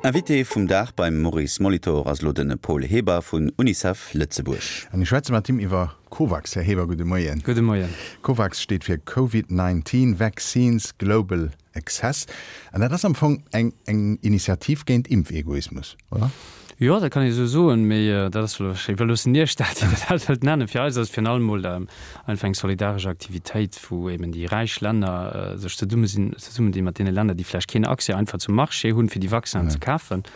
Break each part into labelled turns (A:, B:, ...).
A: Invité vum Dag beim Maurice Molitor ass elo de Paul Heber vun Unicef Lëtzebuerg.
B: An ech schwätze mat him iwwer Covax. Här Heber, gudde Moien.
C: Gudde Moien.
B: Covax steet fir Covid 19 Vaccines Global Access. An dat ass am Fong eng eng Initiativ géint Impfegoismus, oder?
C: Jo, dat kann ee sou soen, mee dat ass elo, ech iwwerloossen Iech dat, wéi Der dat wëllt nennen. Fir eis ass et virun allem mol einfach eng solidaresch Aktivitéit, wou eben déi räich Länner sech zesumme sinn, zesummendinn mat deene Länner, déi vläicht keen Accès einfach zum Marché hunn, fir déi Vaccinen ze kafen.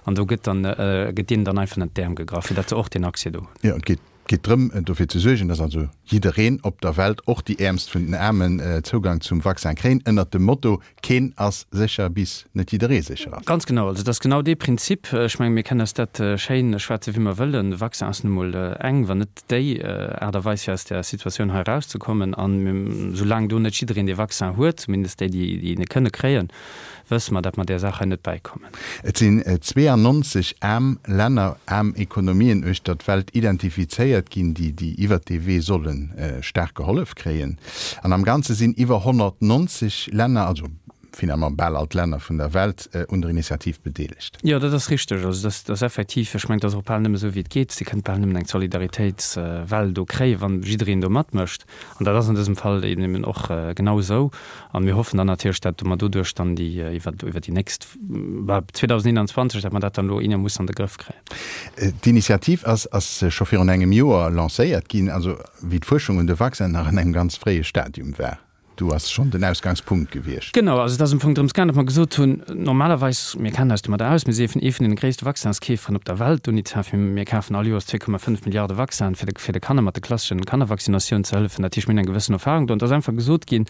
C: An do gëtt dann, gëtt deenen dann einfach ënnert d'Äerm gegraff, fir datt se och deen Accès do hunn.
B: Jo, et geet geet drëm, dofir ze suergen, datt also jiddereen op der Welt, och déi Äermst vun den Aarmen, Zougang zum Vaccin kréien, ënnert dem Motto, Keen ass sécher, bis net jidderee sécher ass.
C: Ganz genau, also et ass genau dee Prinzip. Ech mengen, mir kënnen eis dat schéin schwätze wéi mer wëllen, de Vaccin ass nu mol eng, wann net déi Aart a Weis, fir aus där Situatioun hei erauszekommen. An soulaang do net jiddereen dee Vaccin huet, zumindest déi, déi en kënne kréien, wësse mer, datt mer där Saach hei net bäikommen.
B: Et sinn 92 aarm Länner, aarm Ekonomien uechter d'Welt identifizéiert ginn, déi déi iwwert dee Wee solle staark gehollef kréien. An am Ganze sinn iwwer 190 Länner, also finalement bal all d'Länner vun der Welt, un der Initiativ bedeelegt.
C: Jo, dat ass richteg. Also dat ass effektiv, ech mengen, et ass och bal nëmme esou, wéi et geet. Dir kënnt bal nëmmen eng Solidaritéitswell do kréien, wann jiddereen do matmécht. An dat ass an dësem Fall eben och genau esou. A mir hoffen dann natierlech, dat mer doduerch dann déi iwwer iwwer déi nächst, bah, 2021, dat mer dat dann elo eenermoossen an de Grëff kréien.
B: D'Initiativ ass ass scho virun engem Joer lancéiert ginn, also wéi d'Fuerschung un de Vaccin nach an engem ganz fréie Stadium war. Do ass schonn den Ausgangspunkt gewiescht.
C: Genau, also et ass am Fong drëms gaangen, datt mer gesot hunn, normalerweis, mir kennen eis domadder aus, mir si ee vun deene gréisste Vaccinskeeferen op der Welt, d'Unicef, mir kafen all Joers 2,5 Milliarde Vaccinen, fir de fir de Kanner mat de klasseschen Kannervaccinatioun ze hëllefen. Dat heescht, mir hunn eng gewëssen Erfahrung do. An et ass einfach gesot ginn,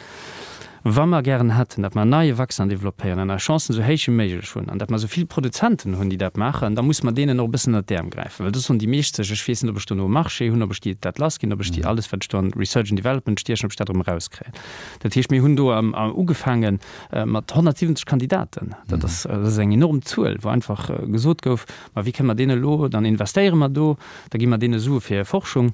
C: wa mer gären hätten, datt mer en neie Vaccin développéieren an eis Chancen esou héich wéi méiglech hunn an datt mer esou vill Produzenten hunn, déi dat maachen, da musse mer deenen och e bëssen ënnert d'Äerm gräifen. Well do soen déi meescht sech, ech weess net, ob ech dono e Marché hunn, ob ech déi dat lassginn, ob ech déi alles, wat ech do an Research and Development stiechen, ob ech dat erëm erauskréien. Dat heescht, mir hunn do ugefaange mat 170 Kandidaten. Dat ass, dat ass eng enorm Zuel, wou einfach gesot gouf, Ma wéi kënne mer deen elo, dann investéiere mer do, da gi mer deene Sue fir hir Forschung.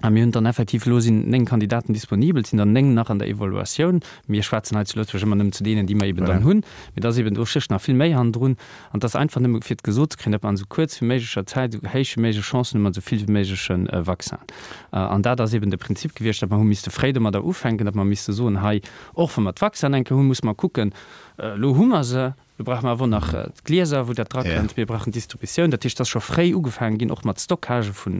C: A mir hunn dann effektiv, elo sinn 9 Kandidaten disponibel, et sinn der 9 nach an der Evaluatioun. Mir schwätzen hei zu Lëtzebuerg ëmmer nëmmen zu deenen, déi mer eben dann hunn. Mee et ass eben, do stécht nach vill méi hannendrun. An et ass einfach nëmme fir et gesot ze kréien, datt mer an esou kuerz wéi méiglecher Zäit esou héich wéi méiglech Chancen hu mat esou vill wéi méigleche Vaccinen. An dat ass eben de Prinzip gewiescht, datt mer hu misste fréi domadder ufänken, datt mer misste soen, hei, och wa mer d'Vaccinen eng Kéier hunn, musse mer kucken, elo hu mer se, Do brauche mer awer och nach d'Glieser, wou dat drakënnt. Mir brauchen d'Distributioun. Dat heescht, et ass scho fréi ugefaange ginn, och mat Stockage vu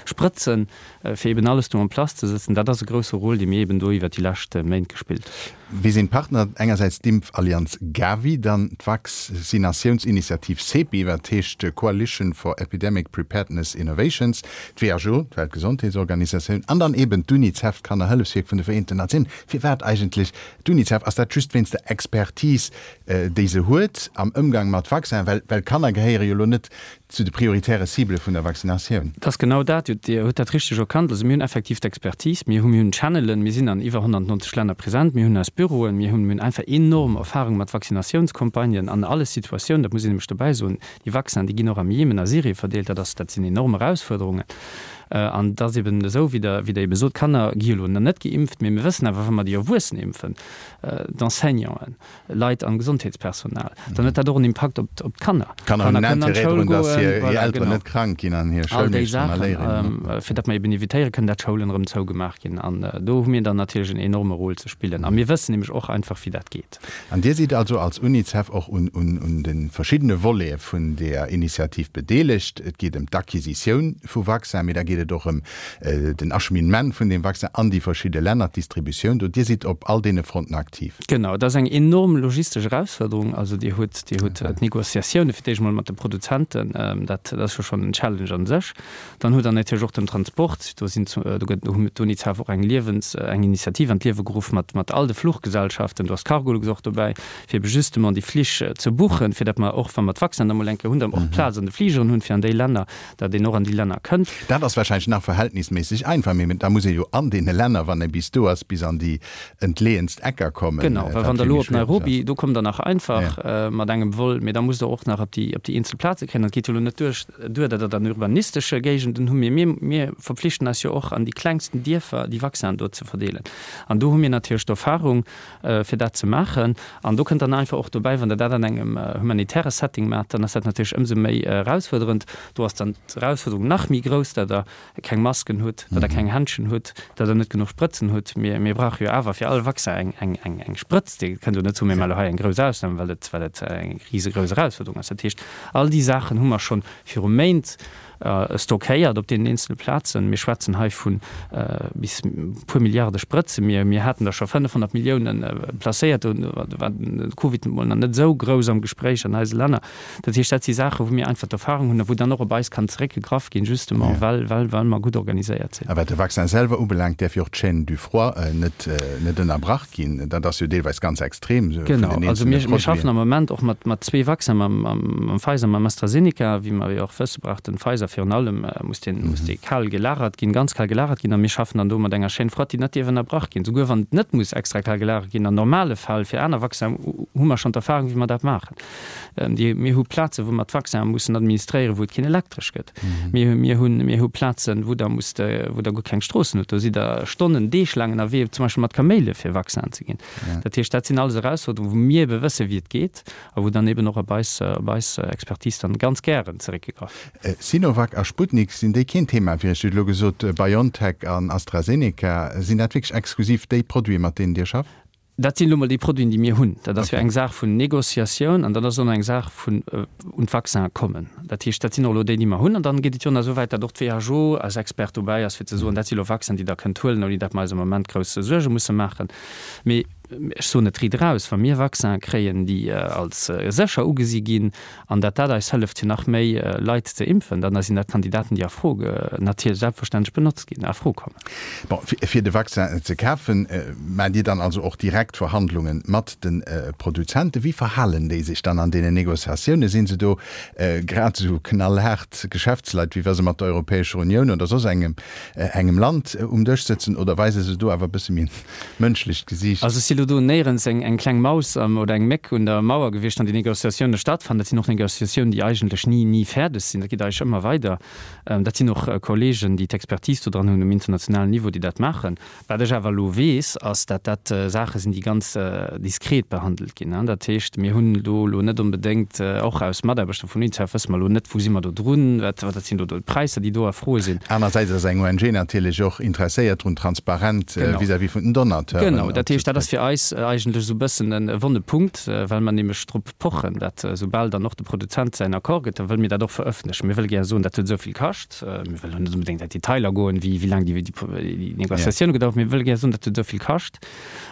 C: Sprëtzen, fir eben alles do en place ze sëtzen. Dat ass e grousse Rôle, dee mir eben do iwwert déi lescht Méint gespillt
B: hunn. Wie sinn d'Partner? Engersäits d'Impfallianz Gavi, dann d'Vaccinatiounsinitiativ CEPI, wat heescht Coalition for Epidemic Preparedness Innovations, d'WHO, d'Weltgesondheetsorganisatioun, an dann eben d'UNICEF, d'Kannerhëllefswierk vun de Vereenten Natiounen. Firwat eigentlech d'UNICEF? Ass dat just wéinst der Expertise, déi se huet am Ëmgang mat Vaccin, well well Kanner gehéiere jo elo net zu de prioritäre Ciblë vun der Vaccinatioun.
C: Et ass genau dat, Dir hutt dat richteg erkannt. Also mir hunn effektiv d'Expertise, mir hu mir hunn Channelen, mir sinn an iwwer 190 Länner present, mir hunn eis Büroen, mir hunn mir hunn einfach enorm Erfahrung mat Vaccinatiounscampagnen an alle Situatiounen. Dat muss een nämlech dobäi soen, déi Vaccinen, déi ginn och am Jemen, a Syrie verdeelt, dat ass dat sinn enorm Erausfuerderungen. An et ass eben esou, wéi Der wéi Der ebe sot, d'Kanner gi jo elo nach net geimpft, mee mir wëssen awer, wa mer déi Erwuessen impfen, d'Enseignanten, Leit an Gesondheetspersonal, dann huet dat och en Impakt op op d'Kanner.
B: D'Kanner hunn en Interêt drun, datt hir hir Elteren net krank ginn an hir
C: All déi Schoulmeeschteren a Léierinnen. Saachen, fir datt mer eben evitéiere kënnen, datt Schoulen erëm zougemaach ginn. An do hu mir dann natierlech en enorme Rôle ze spillen. A mir wëssen nämlech och einfach, wéi dat geet.
B: An Dir sidd also als UNICEF och un un un de verschiddene Volete vun där Initiativ bedeelegt. Et geet ëm d'Acquisitioun vu Vaccin, mee da geet et och ëm den Acheminement vun deem Vaccin an déi verschidde Länner, d'Distributioun do. Dir sidd op all deene Fronten aktiv.
C: Genau, et ass eng enorm logistesch Erausfuerderung. Also Dir hutt, Dir hutt d'Négociatioune fir d'éischt emol mat de Produzenten, dat ass jo schonn en Challenge a sech. Dann hutt Der natierlech och den Transport. Do sinn, do gëtt, do huet d'UNICEF och eng Liewens, eng Initiativ an d'Liewe geruff mat, mat all de Fluchgesellschaften, do ass d'Cargolux och dobäi, fir ebe justement déi Flich ze buchen, fir datt mer och, wa mer d'Vaccinen da mol eng Kéier hunn, dann och Plaz an de Fligeren hunn, fir an déi Länner, datt een och an déi Länner kënnt.
B: Dat ass. warscheinlech nach verhältnisméisseg einfach, mee da muss ee jo an deene Länner, wann ee bis do ass, bis an déi entleeënst Ecker kommen.
C: Genau, well wann Der elo op Nairobi, do kommt Der nach einfach mat engem Vol, mee da musst Der och nach op déi, op déi eenzel Plaze kréien. An et geet jo elo net duerch, duer, datt Der dann urbanistesche Géigenden hu mir. Mir, mir verpflichten eis jo och an déi klengsten Dierfer déi Vaccinen do ze verdeelen. An do hu mir natierlech d'Erfahrung, fir dat ze maachen. An do kënnt dann einfach och dobäi, wann Der dat an engem humanitäre Setting maacht, dann ass dat natierlech ëmsou méi erausfuerderend. Do ass dann d'Erausfuerderung nach méi grouss, datt Der keng Masken hutt, datt Der keng Händschen hutt, datt Der net genuch Sprëtzen hutt. Mir, mir brauche jo awer fir all Vaccin eng, eng, eng Sprëtz. Dir kënnt jo net soen, mir maache hei eng grouss Ausnam, well et, well et eng risegrouss Erausfuerderung ass. Dat heescht, all déi Saachen hu mer schonn viru Méint stockéiert op deenen eenzele Plazen. Mir schwätzen hei vu bis e puer Milliarde Sprëtzen. Mir, mir haten der scho 500 Milliounen placéiert, do war de Covid emol nach net esou grouss am Gespréich an eise Länner. Dat heescht, dat si Saachen, wou mir einfach d'Erfahrung hunn a wou dann och op eis kann zeréckgegraff ginn, justement well, well, well mer gutt organiséiert sinn.
B: A wat de Vaccin selwer ubelaangt, däerf jo och d'Chaîne du froid net, net ënnerbrach ginn. Dat ass jo deelweis ganz extrem vun
C: den Genau, also mir, mir schaffen am Moment och mat, mat zwee Vaccinen, mam, mam, mam Pfizer, mam AstraZeneca. Wéi mer jo och wësse brauch den Pfizer virun allem, muss deen, muss dee kal gelagert ginn, ganz kal gelagert ginn. A mir schaffen dann do mat enger Chaîne froide, déi net dierf ënnerbrach ginn, souguer wann et net muss extra kal gelagert ginn. An normale Fäll fir aner Vaccinen hu mer schonn d'Erfahrung, wéi mer dat maachen. Déi, mir hu Plazen, wou mer d'Vaccinen mussen administréieren, wou et keen Elektresch gëtt. Mir, mir hunn, mir hu Plazen, wou Der musst, wou Der guer keng Stroossen hutt. Do sidd Der Stonnen, Deeg laang ënnerwee, zum Beispill mat Kaméile fir Vaccinen ze ginn. Dat heescht, dat sinn alles Erausforderungen, wou mir ebe wëssen, wéi et geet a wou dann eben och op eis, op eis Expertise dann ganz gären zeréckgegraff
B: gëtt. Sinovac a Sputnik, sinn déi keen Thema fir Iech? Dir hutt elo gesot, BioNTech an AstraZeneca. Sinn dat wierklech exklusiv déi Produiten, mat deenen Dir schafft?
C: Dat sinn elo mol déi Produiten, déi mir hunn. Dat ass jo eng Saach vun Négociatioun an dat ass och nach eng Saach vun un d'Vaccinen kommen. Dat heescht, dat sinn och elo déi, déi mer hunn. An dann geet et jo nach esou wäit, datt och d'WHO als Expert dobäi ass, fir ze soen, dat si elo Vaccinen, déi Der kënnt huelen, ouni datt mer eis am Moment grouss Suerge musse maachen. Mee ech soen et riit eraus, Wa mir Vaccinen kréien, déi als sécher ugesi ginn an datt dat eis hëlleft, fir nach méi Leit ze impfen, dann sinn dat Kandidaten, déi a Fro, natierlech selbstverständlech benotzt ginn, a Fro kommen.
B: Bon, fir de Vaccin ze kafen, maacht Dir dann also och direkt Verhandlunge mat de Produzenten. Wéi verhalen déi sech dann an deenen Négociatiounen? Sinn se do grad esou knallhaart Geschäftsleit, wéi wa se mat der Europäescher Unioun oder soss engem engem Land um Dësch sëtzen, oder weise se do awer e bësse méi en mënschlecht Gesiicht?
C: Also ech si lo do néierens eng eng kleng Maus oder eng Méck un der Mauer gewiescht, wann déi Négociatiounen stattfannen. Dat sinn och Négociatiounen, déi eigentlech ni ni fäerdeg sinn. Dat geet eigentlech ëmmer weider. Dat sinn och Kollegen, déi d'Expertise do dran hunn um internationalen Niveau, déi dat maachen. Wat ech awer elo weess, ass, dat dat Saache sinn, déi ganz diskret behandelt ginn. Dat heescht, mir hunn do elo net onbedéngt, och aus Mataarbechter vun UNICEF wësse mer elo net, wou si mer do drun, wat wat sinn do d'Präisser, déi do a Fro sinn.
B: Anersäits ass eng ONG natierlech och interesséiert drun, transparent vis-à-vis vun den Donateuren
C: Genau, dat heescht, dat ass fir eis eigentlech esou e bëssen e wonne Punkt, well mer nämlech drop pochen, dat soubal dann och de Produzent säin Accord gëtt, da wëlle mir dat och verëffentlechen. Mir wëlle gär soen, dat huet esou vill kascht. Mir wëllen net onbedéngt an d'Detailer goen, wéi wéi laang déi Négociatioune gedauert hunn. Mir wëlle gär soen, dat huet esou vill kascht.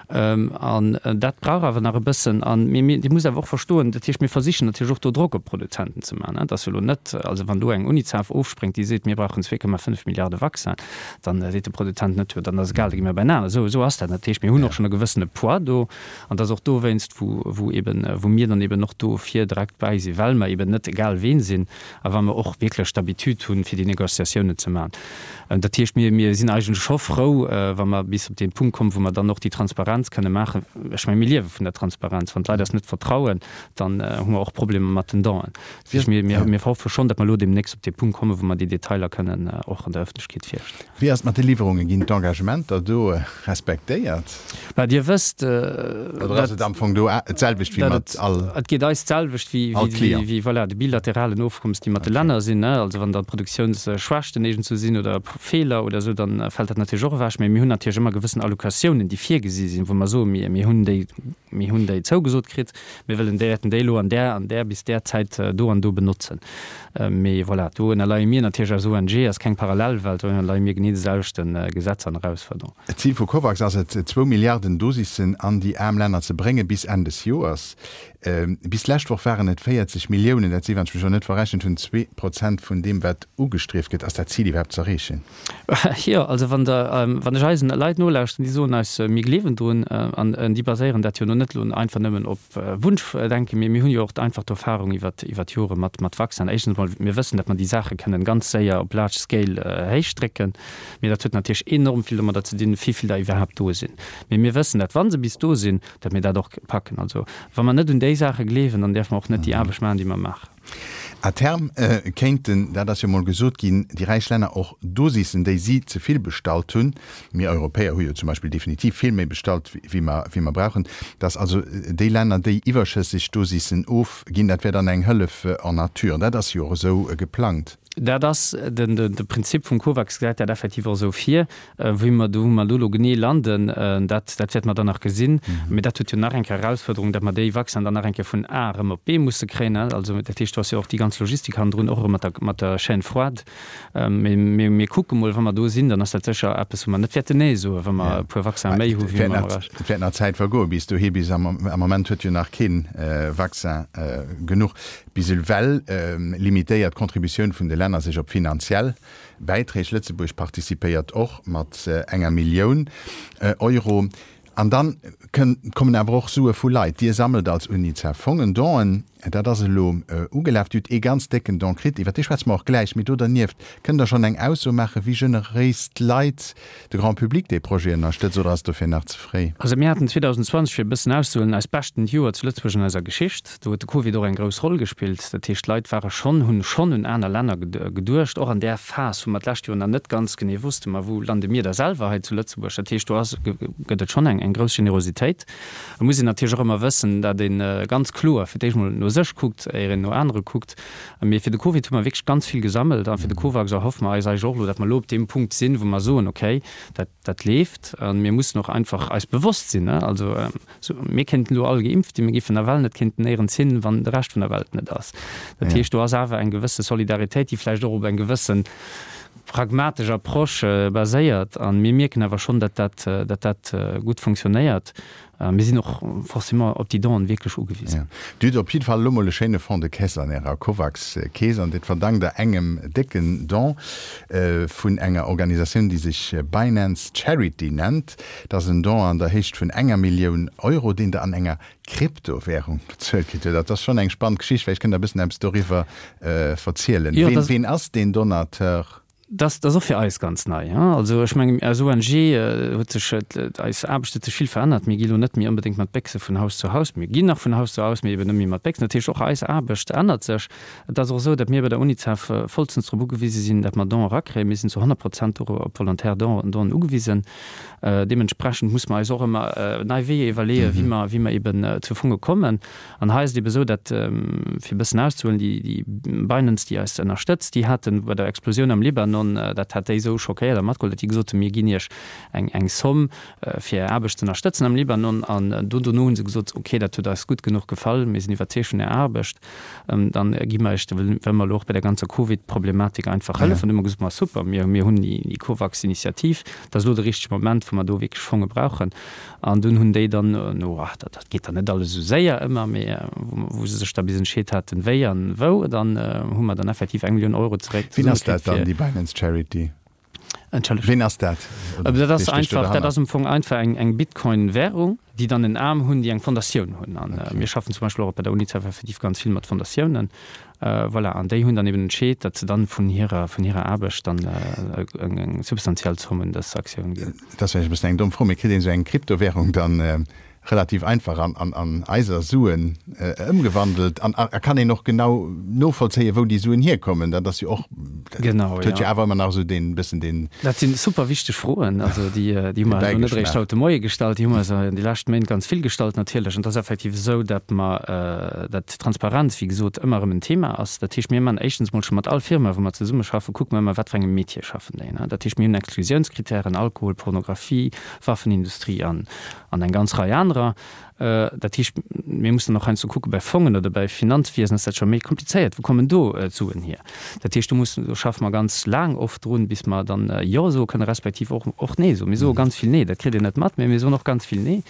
C: An dat brauch awer nach e bëssen. An mir, mir, Dir musst awer och verstoen, dat heescht, mir versichen natierlech och do Drock op d'Produzenten ze maachen. Et ass jo elo net, also wann do eng Unicef ofspréngt, déi seet, mir brauchen 2,5 Milliarde Vaccin, dann seet de Produzent net, jo dann ass egal, da gi mir bäinaner. Esou, esou ass dat net. Dat heescht, mir hunn och schonn e gewëssene Poids do. An dat ass och dowéinst, wou, wou eben, wou mir dann eben och do vir direkt bäi sinn, well mer eben net egal ween sinn a well mer och wierklech d'Habitude hunn, fir déi Négociatiounen ze maachen. Dat heescht, mir, mir sinn eigentlech scho frou, wa mer bis op dee Punkt kommen, wou mer dann och déi Transparenz kënne maachen. Ech mengen, mir liewe vun der Transparenz. Wann d'Leit eis net vertrauen, dann hu mer och Problemer mat den Donen. Dat heescht, mir, mir, mir hoffe schonn, datt mer elo deemnächst op dee Punkt kommen, wou mer déi Detailer kënnen och an der Öffentlechkeet virstellen.
B: Wéi ass et mat de Liwwerungen? Ginn d'Engagementer do respektéiert?
C: Bah, Dir wësst, Oder
B: ass et am Fong do d'selwecht wéi mat all Client?
C: Et geet eis d'selwecht wéi, voilà, de bilateralen Ofkommes, déi mat de Länner sinn. Also wann da Produktiounsschwächten iergendswou sinn oder Feeler oder esou, dann fält dat natierlech och ewech. Mee mir hunn natierlech ëmmer gewëssen Allocatiounen, déi virgesi sinn, wou mer soen, mir hunn déi, mir hunn déi zougesot kritt, mir wëllen déi, wäerten déi elo an där an där bis där Zäit do an do benotzen. Mee voilà, do ënnerleie mir natierlech als ONG, ass keng Parallelwelt, do ënnerleie mir genee de selwechte Gesetzer an Erausforderungen.
B: D'Zil vu Covax ass et, zwou Milliarden Dosissen. Dosissen an déi aarm Länner ze bréngen bis Enn des Joers. Bis d'lescht Woch waren et 40 Milliounen, dat si, wann ech mech elo net verrechent hunn, 2% vun deem, wat ugestrieft gëtt. Ass dat Zil iwwerhaapt z'erreechen?
C: Jo, also wann Der, wann ech eisen Leit nolauschten, déi soen eis, mir gleewen drun, an déi baséieren dat jo elo net elo einfach nëmmen op Wunschdenken, mee mir hunn jo och einfach d'Erfahrung iwwert, iwwert d'Jore mat, mat Vaccinen. Éischtens emol, mir wëssen, datt mer déi Saache kënnen ganz séier op large scale héichdrécken, mee dat huet natierlech enorm vill domadder ze dinn, wéi vill der iwwerhaapt do sinn. Mee mir wëssen, datt wa se bis do sinn, datt mir dat och packen. Also wa mer net un déi Saache gleewen, dann däerfe mer och net déi Aarbecht maachen, déi mer maachen.
B: À terme kéinten, dat ass jo mol gesot ginn, déi räich Länner och Dosissen, déi si ze vill bestallt hunn, mir Europäer hu jo zum Beispill definitiv vill méi bestallt, wéi mer, wéi mer brauchen, datt also déi Länner déi iwwerschësseg Dosissen ofginn, dat wär dann eng Hëllef en nature. Dat ass jo och esou geplangt.
C: Dat ass den, de Prinzip vum COVAX gesäit dat effektiv och esou vir. Wéi mer do, wou mer do elo genee landen, dat, dat wäerte mer dann nach gesinn. Mee dat huet jo nach eng Kéier Erausfuerderung, datt mer déi Vaccinen dann nach eng Kéier vun A erëm op B musse kréien. Also dat heescht, do ass jo och déi ganz Logistik hannendrun, och erëm mat der, mat der Chaîne froide. Mee mir, mir kucke mol, wa mer do sinn, dann ass dat sécher eppes, wou mer net wäerten Nee soen, wa mer e puer Vaccinen méi hu
B: wéi mer errecht. Et wäert nach Zäit vergoen bis dohi. Bis am, am Moment huet jo nach kee Vaccin genuch. Bis ewell limitéiert d'Contributioun vun de Länner sech op finanziell Bäiträg. Lëtzebuerg participéiert och mat enger Millioun Euro. An dann kommen awer och Sue vu Leit. Dir sammelt als Unicef Fongen, Donen. Dat ass elo ugelaf. Dir hutt ee ganz décken Don kritt, iwwer dee schwätze mer och gläich. Mee do dernieft, kënnt Der schonn eng Ausso maachen, wéi generéis d'Leit, de Grand Public dee Projet ënnerstëtzt, oder ass et dofir nach ze fréi?
C: Also mir haten 2020, fir e bëssen auszehuelen, eist beschten Joer zu Lëtzebuerg an eiser Geschicht. Do huet de Covid och eng grouss Roll gespillt. Dat heescht, d'Leit ware schonn, hunn schonn un aner Länner geduecht, och an där Phas, wou mer d'lescht Joer nach net ganz genee wussten, ma wou lande mir da selwer hei zu Lëtzebuerg. Dat heescht, do ass, gëtt et schonn eng, eng grouss Generositéit. Et muss een natierlech och ëmmer wëssen, datt ee ganz kloer fir d'éischt mol no sech kuckt, éier een no anere kuckt. Mee fir de Covid hu mer wierklech ganz vill gesammelt a fir de Covax erhoffe mer eis eigentlech och elo, datt mer elo op deem Punkt sinn, wou mer soen, okay, dat, dat leeft. A mir mussen och einfach eis bewosst sinn, also, Sou, mir kéinten elo all geimpft sinn, mir géifen nawell net kéinten néierens hin, wann de Rescht vun der Welt net ass. Dat heescht, do ass awer eng gewësse Solidaritéit, déi vläicht och op eng gewësse pragmatesch Approche baséiert. A mir mierken awer schonn, datt dat, datt dat gutt funktionéiert. Mir sinn och forcément op déi Donen wierklech ugewisen.
B: Dir hutt op jidde Fall elo mol e schéine Fonds de caisse an Ärer Covax-Kees, an dat verdankt Der engem décken Don vun enger Organisatioun, déi sech Binance Charity nennt. Dat ass en Don an der Héicht vun enger Millioun Euro, deen Der an enger Kryptowärung bezuelt kritt hutt. Dat ass schonn eng spannend Geschicht. Vläicht kënnt Der e bëssen eppes doriwwer verzielen. Ween ass deen Donateur?
C: Dat ass och fir eis ganz nei. Also ech mengen, als ONG huet sech eis Aarbecht huet sech vill verännert. Mir gi lo net méi onbedéngt mat Béchse vun Haus zu Haus. Mir ginn nach vun Haus zu Haus, mee eben net méi mat Béchsen. Dat heescht, och eis Aarbecht ännert sech. Et ass och esou, datt mir bei der Unicef vollstens drop ugewise sinn, datt mer Donen erakréien. Mir sinn zu 100 Prozent och op volontaire Donen ugewisen. Deementsprechend muss mer eis och ëmmer nei Weeër iwwerleeën, wéi mer, wéi mer eben zu Fonge kommen. An hei ass et eben esou, datt, fir e bëssen auszehuelen, déi, déi Binance, déi eis ënnerstëtzt, déi haten bei der Explosioun am Libanon, dat hat déi esou schockéiert a matgeholl, datt déi gesot hunn, mir ginn Iech eng, eng Somm, fir Är Aarbecht ze ënnerstëtzen am Libanon. An do dono hu se gesot, okay, dat huet eis gutt genuch gefall, mir sinn iwwerzeegt vun Ärer Aarbecht. Dann gi mer Iech, wëlle mer elo och bei der ganzer Covid-Problematik einfach hëllefen. An du hu mer gesot, ma super, mir, mir hunn déi Covax-Initiativ, dat ass elo de richtege Moment, wou mer do wierklech Fonge brauchen. An dunn hunn déi dann no, ach, dat, dat geet dann net alles esou séier ëmmer, mee wou se sech da bis entscheet haten, wéi an wou, dann hu mer dann effektiv eng Millioun Euro zeréck
B: Wien ass dat dann, déi Binance Charity?
C: Entschëllegt.
B: Ween ass dat?
C: Dat ass einfach, dat ass am Fong einfach eng, eng Bitcoin-Währung, déi dann en Aarm hunn, déi eng Fondatioun hunn. An okay. mir schaffen zum Beispill och bei der Unicef effektiv ganz vill mat Fondatiounen. Äh, voilà. An déi hunn dann eben entscheet, datt se dann vun hirer, vun hirer Aarbecht dann äh, eng, eng substantiell Zomm un dës Aktioun ginn.
B: Dat ass vläicht e bëssen eng domm Fro, mee kritt een esou eng Kryptowährung dann äh, relativ einfach an, an, an eiser Suen ëmgewandelt an a kann een och genau novollzéien, wou déi Suen hierkommen. Dat ass jo och, dat
C: Genau,
B: huet jo awer ëmmer nach esou deen bëssen deen.
C: Dat si super wichteg Froen, also déi, déi hu mer elo net eréischt haut de Moie gestallt, déi hu mer eis an de leschte Méint ganz vill gestallt natierlech. An et ass effektiv esou, datt mer, datt Transparenz, wéi gesot, ëmmer erëm en Thema ass. Dat heescht, mir man éischtens mol scho mat all Firma, wou mer zesummeschaffen, kucke mer ëmmer, wat fir engem Metier schaffen déi. Dat heescht, mir hunn Exklusiounskritären, Alkohol, Pornografie, Waffenindustrie an An eng ganz Rei anerer. Dat heescht, mir mussen och heiansdo. ze kucken, bei Fongen oder bei Finanzwiesen ass dat scho méi komplizéiert, wou kommen do d'Suen hier? Dat heescht, do mussen, do schaffe mer ganz laang oft drun, bis mer dann Jo soe kënnen, respektiv och, och Nee soen. Mir soe ganz vill Nee, dat kritt een net mat, mä mir soen och ganz vill Nee.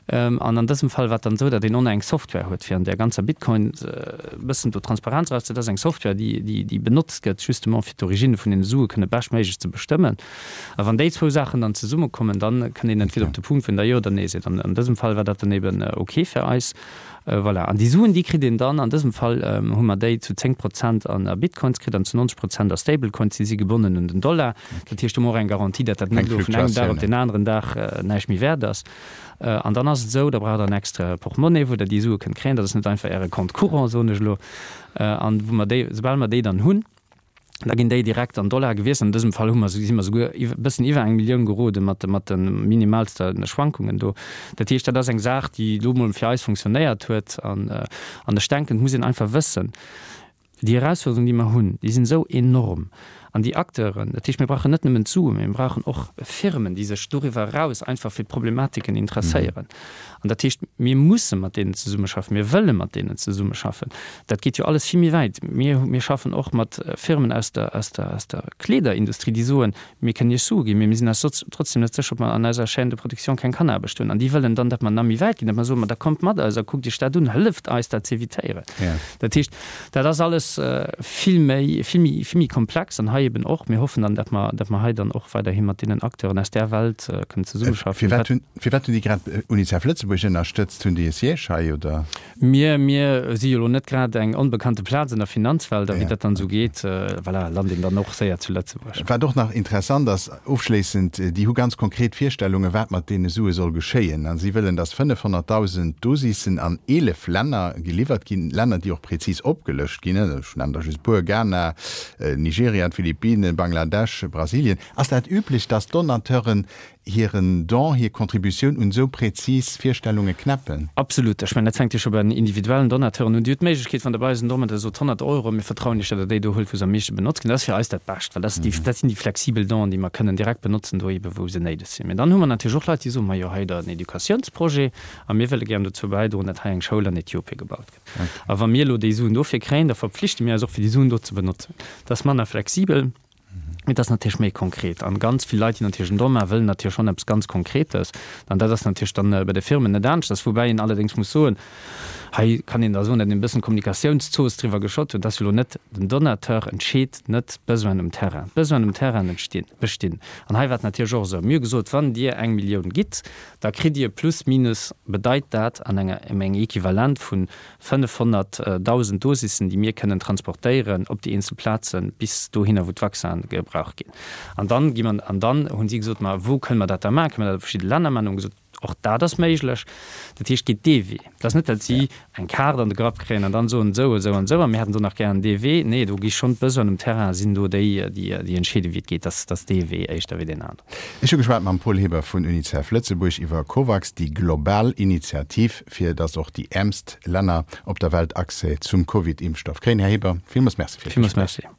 C: An an dësem Fall war et dann esou, datt een och nach eng Software huet, fir an där ganzer Bitcoin e bëssen do Transparenz eraus ze, dat ass eng Software, déi, déi, déi benotzt gëtt justement fir d'Origine vun deene Sue kënne beschtméiglech ze bestëmmen. A wann déi zwou Saachen dann zesummekommen, dann kënnt een entweder op de Punkt, wou een da Jo oder Nee seet. An an dësem Fall war dat dann eben ok fir eis. Voilà. An déi Suen, déi kritt een dann, an dësem Fall hu mer déi zu 10 Prozent a Bitcoins kritt an zu 90 Prozent a Stablecoins. Déi si gebonnen un den Dollar. Dat heescht, do hu mer och eng Garantie, datt dat net elo vun engem Dag op deen aneren Dag näischt méi wäert ass. An dann ass et esou, da braucht Der en extrae Portmonnaie, wou Der déi Sue kënnt kréien. Dat ass net einfach Äre Compte courant, soen ech elo. An wou mer déi, soubal mer déi dann hunn, da ginn déi direkt an Dollar gewiesselt. An dësem Fall hu mer, si mer souguer e bëssen iwwer eng Millioun gerode mat de, mat de minimalste Schwankungen do. Dat heescht, dat ass eng Saach, déi elo mol fir eis funktionéiert huet. An, an ech denken, et muss een einfach wëssen, déi Erausfuerderungen, déi mer hunn, déi sinn esou enorm. An déi Acteuren, dat heescht, mir brauchen net nëmmen d'Suen, mee mir brauchen och Firmen, déi sech doriwwer eraus einfach fir d'Problematiken interesséieren. An dat heescht, mir musse mat deenen zesummeschaffen, mir wëlle mat deenen zesummeschaffen. Dat geet jo alles vill méi wäit. Mir, mir schaffen och mat Firmen aus der, aus der, aus der Kleederindustrie, déi soen, mir kënnen Iech Sue ginn, mee mir sinn eis trotzdem net sécher, ob mer an eiser Chaîne de production keng Kanneraarbecht hunn. An déi wëllen dann, datt mer nach méi wäit ginn, datt mer soen, ma da kommt mat eis a kuckt Iech dat un, hëlleft eis dat z'evitéieren. Dat heescht, dat ass alles vill méi, vill méi, vill méi komplex an hei eben och. Mir hoffen dann, datt mer, datt mer hei dann och weiderhi mat deenen Acteuren aus där Welt kënnen zesummeschaffen.
B: Firwat hunn, firwat hunn déi grad Unicef Lëtzebuerg ënnerstëtzt? Hunn déi e Siège hei, oder?
C: Mir, mir si jo elo net grad eng onbekannte Plaz an der Finanzwelt a wéi dat dann esou geet, voilà, lant een dann och séier zu Lëtzebuerg.
B: Wat och nach interessant ass, Ofschléissend, déi hu ganz konkret Virstellungen, wat mat deene Sue soll geschéien. A si wëllen, datt 500.000 Dosissen an 11 Länner geliwwert ginn, Länner, déi och prezis opgelëscht ginn, ech nennen der just e puer, Ghana, Nigeria, d'Philippinen, Bangladesch, Brasilien. Ass dat üblech, datt Donateuren hiren Don, hir Contributioun un esou präzis Virstellunge knäppen?
C: Absolut. Ech mengen, dat fänkt jo scho bei den individuellen Donateuren un. Dir hutt d'Méiglechkeet, wann Der bei eis en Don maacht, Der sot 100 Euro, mir vertrauen Iech, datt Der déi do huelt, wou se am meeschte benotzt ginn. Dat ass fir eis dat Bescht, well dat ass déi, dat sinn déi flexibel Donen, déi mer kënnen direkt benotzen, do eebe wou se néideg sinn. Mä dann hu mer natierlech och Leit, déi soen, Majo, hei hutt Der en Educatiounsprojet a mir wëlle gären dozou bäidroen, datt hei eng Schoul an Äthiopie gebaut gëtt. A wa mir elo déi Suen dofir kréien, da verpflichte mir eis och, fir déi Suen do ze benotzen. Dat ass manner flexibel. Mee et ass natierlech méi konkret. An ganz vill Leit, déi natierlech en Don maachen, wëllen natierlech schonn eppes ganz Konkretes. An dat ass natierlech dann bei de Firmen net aneschters. Woubäi een allerdéngs muss soen, hei kann een da soen, datt een e bëssen Kommunikatiounszooss driwwer geschott huet, dass jo elo net den Donateur entscheet net d'Besoinen um Terrain. D'Besoinen um Terrain entstinn, bestinn. An hei war et natierlech och esou, mir hu gesot, wann Dir eng Millioun gitt, da kritt Dir plus minus, bedeit dat an enger, eng Equivalent vun 500.000 Dosissen, déi mir kënnen transportéieren op déi eenzel Plazen, bis dohinner, wou d'Vaccinen gebraucht ginn. An dann gi mer, an dann hunn si gesot, ma wou kënne mer dat da maachen? Kënne mer dat a verschidde Länner maachen? Hu mer gesot, och dat ass méiglech. Dat heescht, geet dee Wee. Et ass net, datt si eng Kaart an de Grapp kréien an dann soen, esou, esou an esou, a mir hätten do nach gären dee Wee. Nee, do gi schonn d'Besoinen um Terrain sinn do déi, déi entscheeden, wéi et geet. Dat ass dee Wee éischter wéi deen aneren.
B: Ech hu geschwat mam Paul Heber vun Unicef Lëtzebuerg iwwer Covax, déi global Initiativ, fir datt och déi äermst Länner op der Welt Accès zum Covid-Impfstoff kréien. Här Heber, villmools Merci fir
C: d'Gespréich. Villmools Merci.